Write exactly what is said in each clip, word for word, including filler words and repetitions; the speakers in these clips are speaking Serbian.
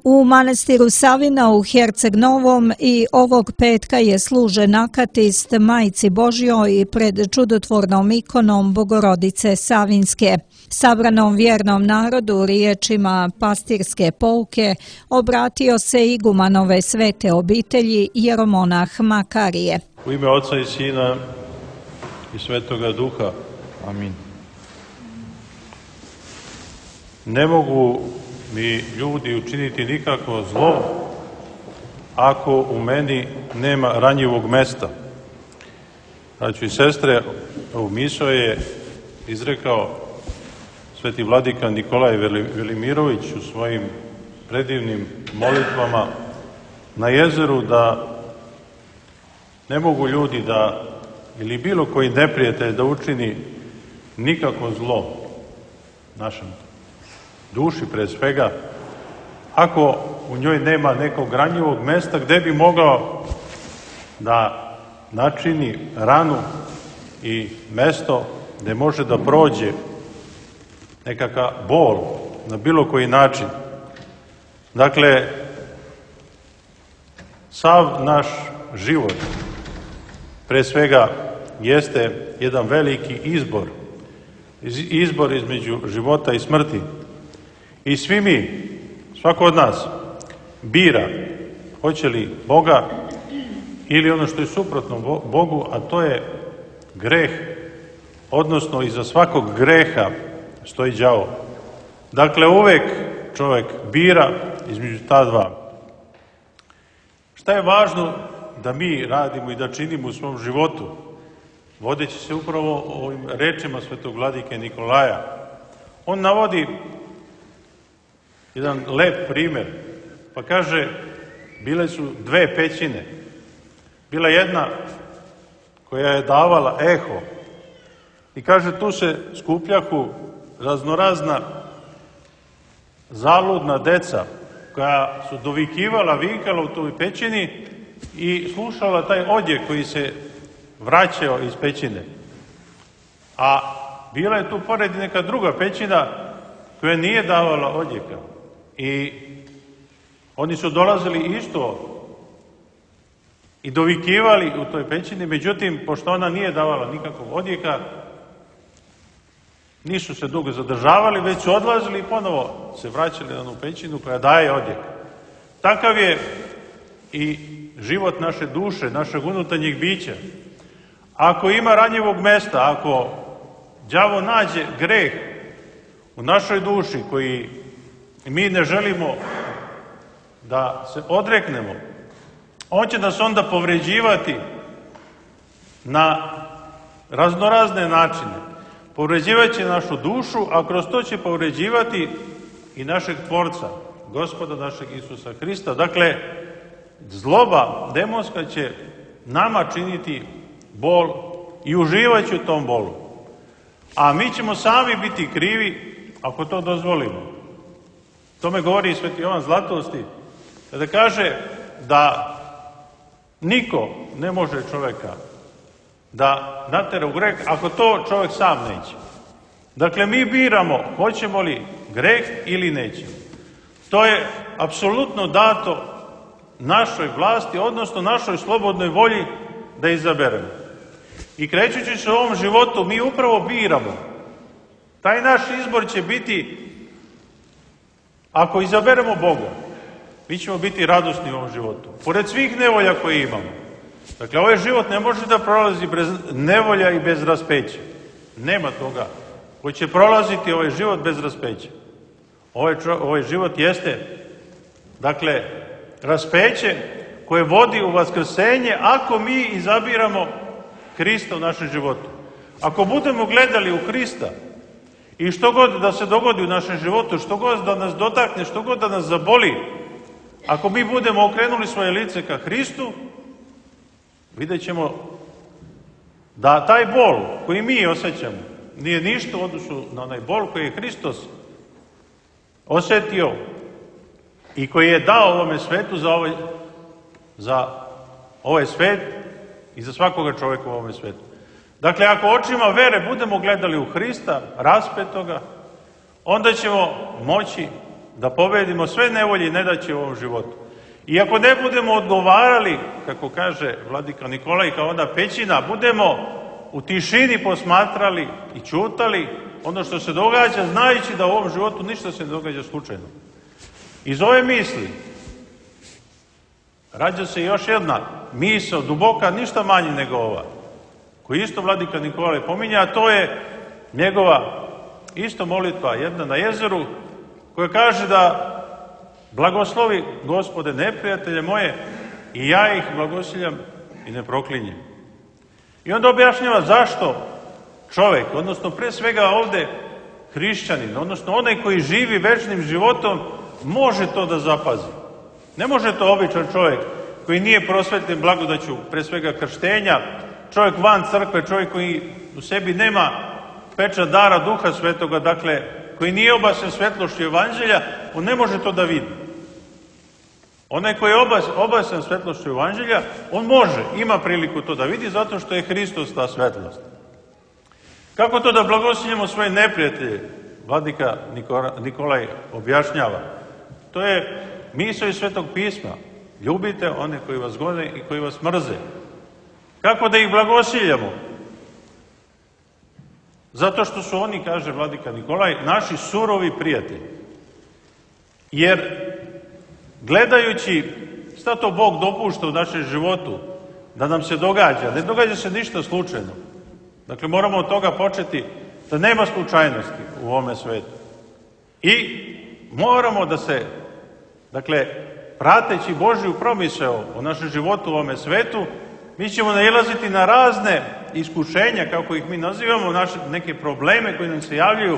U manastiru Savina u Herceg Novom i ovog petka je služen akatist Majci Božjoj pred čudotvornom ikonom Bogorodice Savinske. Sabranom vjernom narodu riječima pastirske pouke obratio se igumanove svete obitelji jeromonah Makarije. U ime Oca i Sina i Svetoga Duha. Amin. Ne mogu mi ljudi učiniti nikako zlo ako u meni nema ranjivog mesta. Braćo i sestre, ovu misao je izrekao sveti vladika Nikolaj Velimirović u svojim predivnim molitvama na jezeru, da ne mogu ljudi da, ili bilo koji neprijatelj da učini nikako zlo našem duši pre svega, ako u njoj nema nekog ranjivog mesta gde bi mogao da načini ranu i mesto gde može da prođe nekakav bol na bilo koji način. Dakle, sav naš život pre svega jeste jedan veliki izbor, izbor između života i smrti. I svi mi, svako od nas, bira hoće li Boga ili ono što je suprotno Bogu, a to je greh, odnosno iza svakog greha stoji đavo. Dakle, uvek čovjek bira između ta dva. Šta je važno da mi radimo i da činimo u svom životu, vodeći se upravo ovim rečima svetog vladike Nikolaja? On navodi jedan lep primer, pa kaže, bile su dve pećine. Bila jedna koja je davala eho i kaže, tu se skupljahu raznorazna zaludna deca koja su dovikivala, vikala u toj pećini i slušala taj odjek koji se vraćao iz pećine. A bila je tu pored neka druga pećina koja nije davala odjeka. I oni su dolazili isto i dovikivali u toj pećini, međutim, pošto ona nije davala nikakvog odjeka, nisu se dugo zadržavali, već su odlazili i ponovo se vraćali na onu pećinu koja daje odjek. Takav je i život naše duše, našeg unutarnjeg bića. Ako ima ranjivog mesta, ako đavo nađe greh u našoj duši koji mi ne želimo da se odreknemo, on će nas onda povređivati na raznorazne načine. Povređivat će našu dušu, a kroz to će povređivati i našeg Tvorca, Gospoda našeg Isusa Hrista. Dakle, zloba demonska će nama činiti bol i uživat će u tom bolu. A mi ćemo sami biti krivi ako to dozvolimo. Tome govori i sveti Jovan Zlatosti, kada kaže da niko ne može čoveka da natera u greh ako to čovjek sam neće. Dakle, mi biramo hoćemo li greh ili nećemo. To je apsolutno dato našoj vlasti, odnosno našoj slobodnoj volji da izaberemo. I krećući se u ovom životu, mi upravo biramo. Taj naš izbor će biti, ako izaberemo Boga, mi ćemo biti radosni u ovom životu. Pored svih nevolja koje imamo. Dakle, ovaj život ne može da prolazi bez nevolja i bez raspeća. Nema toga koji će prolaziti ovaj život bez raspeća. Ovaj, čo, ovaj život jeste, dakle, raspeće koje vodi u vaskrsenje ako mi izabiramo Hrista u našem životu. Ako budemo gledali u Hrista i što god da se dogodi u našem životu, što god da nas dotakne, što god da nas zaboli, ako mi budemo okrenuli svoje lice ka Hristu, vidjet ćemo da taj bol koji mi osjećamo nije ništa u odnosu na onaj bol koji je Hristos osjetio i koji je dao ovome svetu za ovaj, za ovaj svet i za svakoga čovjeka u ovome svetu. Dakle, ako očima vere budemo gledali u Hrista, raspetoga, onda ćemo moći da pobedimo sve nevolje i nedaće u ovom životu. I ako ne budemo odgovarali, kako kaže vladika Nikolaj, kao ona pećina, budemo u tišini posmatrali i ćutali ono što se događa, znajući da u ovom životu ništa se ne događa slučajno. Iz ove misli rađa se još jedna misao, duboka, ništa manje nego ova, koju isto vladika Nikolaj pominja, a to je njegova isto molitva, jedna na jezeru, koja kaže da blagoslovi, Gospode, neprijatelje moje, i ja ih blagosiljam i ne proklinjem. I onda objašnjava zašto čovjek, odnosno pre svega ovde hrišćanin, odnosno onaj koji živi večnim životom, može to da zapazi. Ne može to običan čovjek koji nije prosvetljen blagodaću, pre svega krštenja, čovjek van crkve, čovjek koji u sebi nema pečat dara Duha Svetoga, dakle, koji nije obasen svetlošću Evanđelja, on ne može to da vidi. Onaj koji je obasen svetlošću Evanđelja, on može, ima priliku to da vidi, zato što je Hristos ta svetlost. Kako to da blagosiljemo svoje neprijatelje? Vladika Nikolaj objašnjava. To je misao iz Svetog pisma. Ljubite one koji vas gone i koji vas mrze. Kako da ih blagosiljamo? Zato što su oni, kaže vladika Nikolaj, naši surovi prijatelji. Jer gledajući šta to Bog dopušta u našem životu da nam se događa, ne događa se ništa slučajno. Dakle, moramo od toga početi da nema slučajnosti u ovome svetu. I moramo da se, dakle, prateći Božju promisao o našem životu u ovome svetu, mi ćemo nailaziti na razne iskušenja, kako ih mi nazivamo, naše neke probleme koji nam se javljaju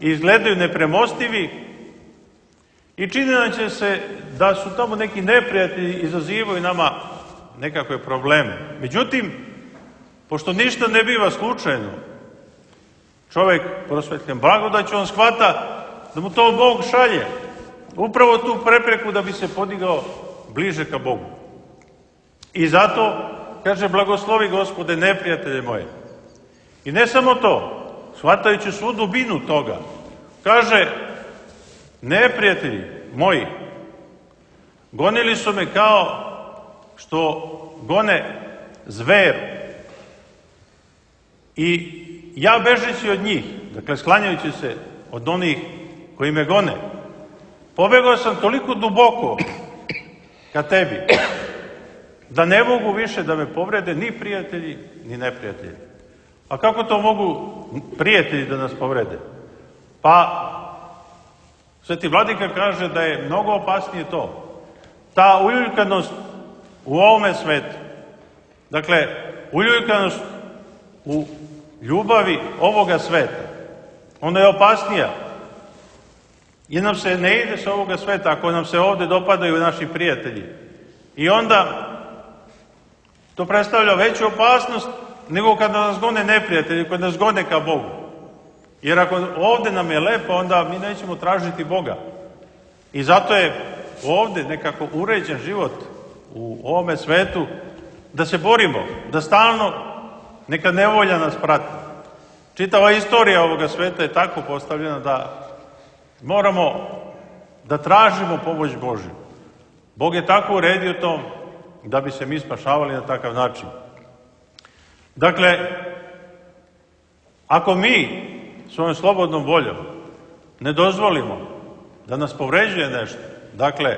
i izgledaju nepremostivi i čini nam će se da su tamo neki neprijatelji izazivaju nama nekakve probleme. Međutim, pošto ništa ne biva slučajno, čovjek prosvetljen blagodaću, on shvata da mu to Bog šalje, upravo tu prepreku da bi se podigao bliže ka Bogu. I zato kaže, blagoslovi Gospode neprijatelje moje. I ne samo to, shvatajući svu dubinu toga, kaže, neprijatelji moji, gonili su me kao što gone zver. I ja bežeći od njih, dakle sklanjajući se od onih koji me gone, pobegao sam toliko duboko ka tebi, da ne mogu više da me povrede ni prijatelji, ni neprijatelji. A kako to mogu prijatelji da nas povrede? Pa, Sveti Vladika kaže da je mnogo opasnije to. Ta uljuljkanost u ovome svetu, dakle, uljuljkanost u ljubavi ovoga sveta, ona je opasnija. Jer nam se ne ide sa ovoga sveta ako nam se ovde dopadaju naši prijatelji. I onda to predstavlja veću opasnost nego kada nas gone neprijatelji, kada nas gone ka Bogu. Jer ako ovde nam je lepo, onda mi nećemo tražiti Boga. I zato je ovde nekako uređen život u ovome svetu, da se borimo, da stalno neka nevolja nas prati. Čitava istorija ovoga sveta je tako postavljena da moramo da tražimo pomoć Božju. Bog je tako uredio to da bi se mi spašavali na takav način. Dakle, ako mi svojom slobodnom voljom ne dozvolimo da nas povređuje nešto, dakle,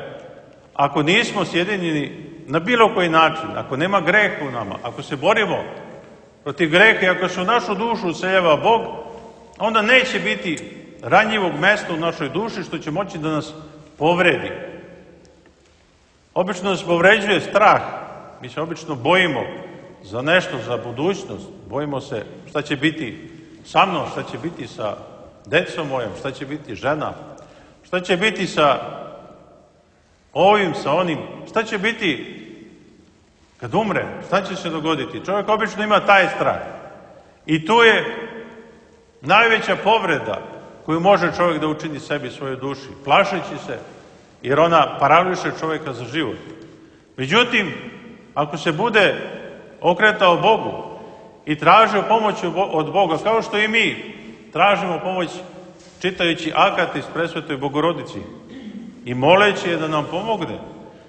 ako nismo sjedinjeni na bilo koji način, ako nema greha u nama, ako se borimo protiv greha i ako se u našu dušu useljava Bog, onda neće biti ranjivog mesta u našoj duši što će moći da nas povredi. Obično nas povređuje strah. Mi se obično bojimo za nešto, za budućnost. Bojimo se šta će biti sa mnom, šta će biti sa decom mojom, šta će biti žena, šta će biti sa ovim, sa onim, šta će biti kad umrem, šta će se dogoditi. Čovjek obično ima taj strah. I tu je najveća povreda koju može čovjek da učini sebi, svojoj duši, plašeći se, jer ona parališe čovjeka za život. Međutim, ako se bude okretao Bogu i tražio pomoć od Boga, kao što i mi tražimo pomoć čitajući Akatis Presvetoj Bogorodici i moleći je da nam pomogne.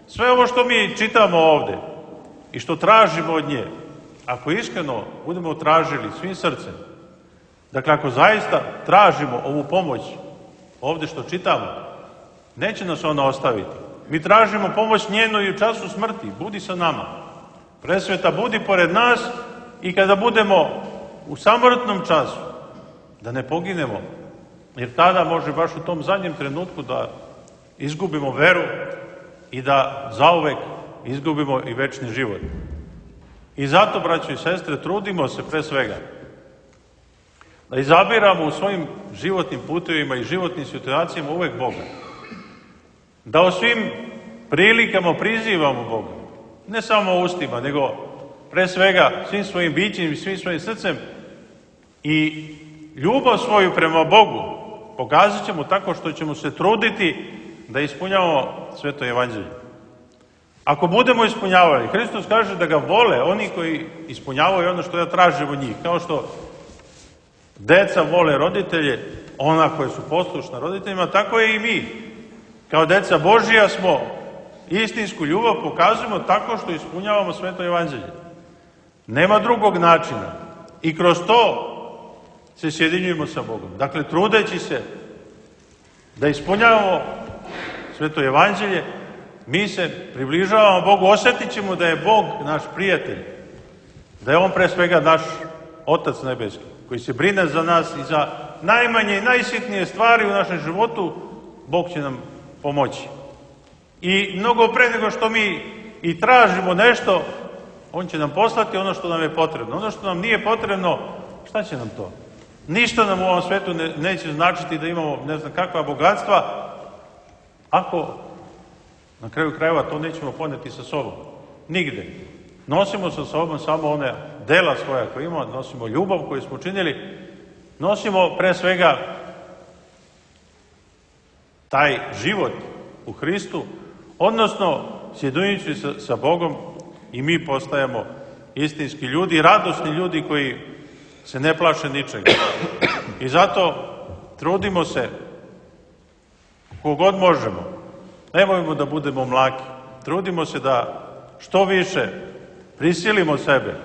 Sve ovo što mi čitamo ovde i što tražimo od nje, ako iskreno budemo tražili svim srcem, dakle ako zaista tražimo ovu pomoć ovde što čitamo, neće nas ona ostaviti. Mi tražimo pomoć njenu i u času smrti. Budi sa nama. Presveta, budi pored nas i kada budemo u samrtnom času, da ne poginemo, jer tada može baš u tom zadnjem trenutku da izgubimo veru i da zauvek izgubimo i večni život. I zato, braćo i sestre, trudimo se pre svega da izabiramo u svojim životnim putevima i životnim situacijama uvek Boga. Da u svim prilikama prizivamo Boga. Ne samo ustima, nego pre svega svim svojim bićem i svim svojim srcem. I ljubav svoju prema Bogu pokazat ćemo tako što ćemo se truditi da ispunjavamo Sveto Evanđelje. Ako budemo ispunjavali, Hristos kaže da ga vole oni koji ispunjavaju ono što ja tražim od njih. Kao što deca vole roditelje, ona koja su poslušna roditeljima, tako je i mi. Kao deca Božija smo istinsku ljubav pokazujemo tako što ispunjavamo Sveto Evanđelje. Nema drugog načina. I kroz to se sjedinjujemo sa Bogom. Dakle, trudeći se da ispunjavamo Sveto Evanđelje, mi se približavamo Bogu, osjetit ćemo da je Bog naš prijatelj, da je On pre svega naš Otac nebeski, koji se brine za nas i za najmanje i najsitnije stvari u našem životu, Bog će nam pomoći. I mnogo pre nego što mi i tražimo nešto, On će nam poslati ono što nam je potrebno. Ono što nam nije potrebno, šta će nam to? Ništa nam u ovom svetu ne, neće značiti da imamo ne znam kakva bogatstva, ako na kraju krajeva to nećemo poneti sa sobom. Nigde. Nosimo sa sobom samo one dela svoja koje imamo, nosimo ljubav koju smo činili, nosimo pre svega taj život u Hristu, odnosno sjedinjujući sa, sa Bogom i mi postajemo istinski ljudi, radosni ljudi koji se ne plaše ničega. I zato trudimo se kogod možemo. Nemojmo da budemo mlaki. Trudimo se da što više prisilimo sebe,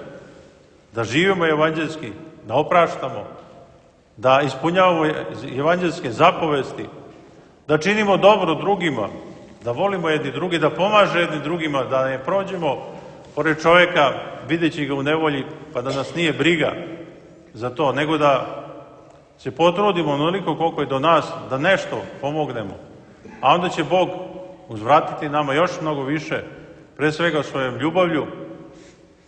da živimo evanđelski, da opraštamo, da ispunjavamo evanđelske zapovesti, da činimo dobro drugima, da volimo jedni drugi, da pomaže jedni drugima, da ne prođemo pored čoveka videći ga u nevolji, pa da nas nije briga za to, nego da se potrudimo onoliko koliko je do nas, da nešto pomognemo. A onda će Bog uzvratiti nama još mnogo više, pre svega svojom ljubavlju,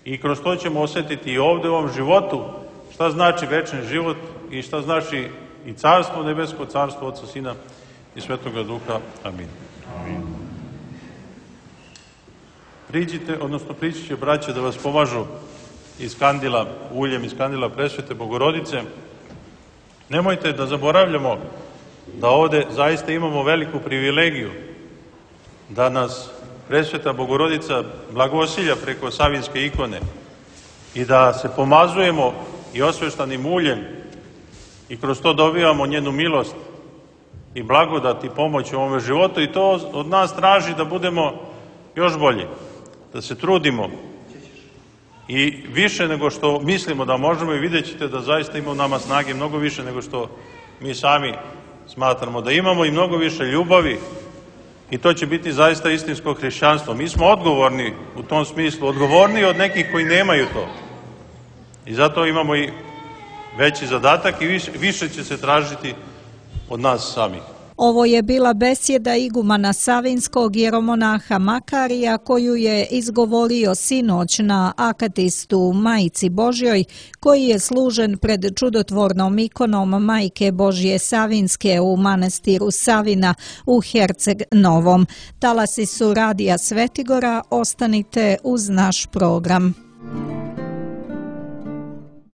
i kroz to ćemo osjetiti i ovde u ovom životu šta znači večni život i šta znači i carstvo nebesko, carstvo Otca, Sina i Svetoga Duha. Amin. Amin. Priđite, odnosno prići će braće da vas pomažu iz kandila, uljem iz kandila Presvete Bogorodice. Nemojte da zaboravljamo da ovde zaista imamo veliku privilegiju da nas Presveta Bogorodica blagosilja preko Savinske ikone i da se pomazujemo i osveštanim uljem i kroz to dobivamo njenu milost i blagodat i pomoć u ovome životu, i to od nas traži da budemo još bolji, da se trudimo i više nego što mislimo da možemo, i vidjet ćete da zaista ima u nama snage mnogo više nego što mi sami smatramo da imamo, i mnogo više ljubavi, i to će biti zaista istinsko hrišćanstvo. Mi smo odgovorni u tom smislu, odgovorniji od nekih koji nemaju to. I zato imamo i veći zadatak i više, više će se tražiti od nas samih. Ovo je bila besjeda igumana Savinskog jeromonaha Makarija koju je izgovorio sinoć na akatistu Majci Božjoj, koji je služen pred čudotvornom ikonom Majke Božje Savinske u manastiru Savina u Herceg Novom. Talasi su Radija Svetigora, ostanite uz naš program.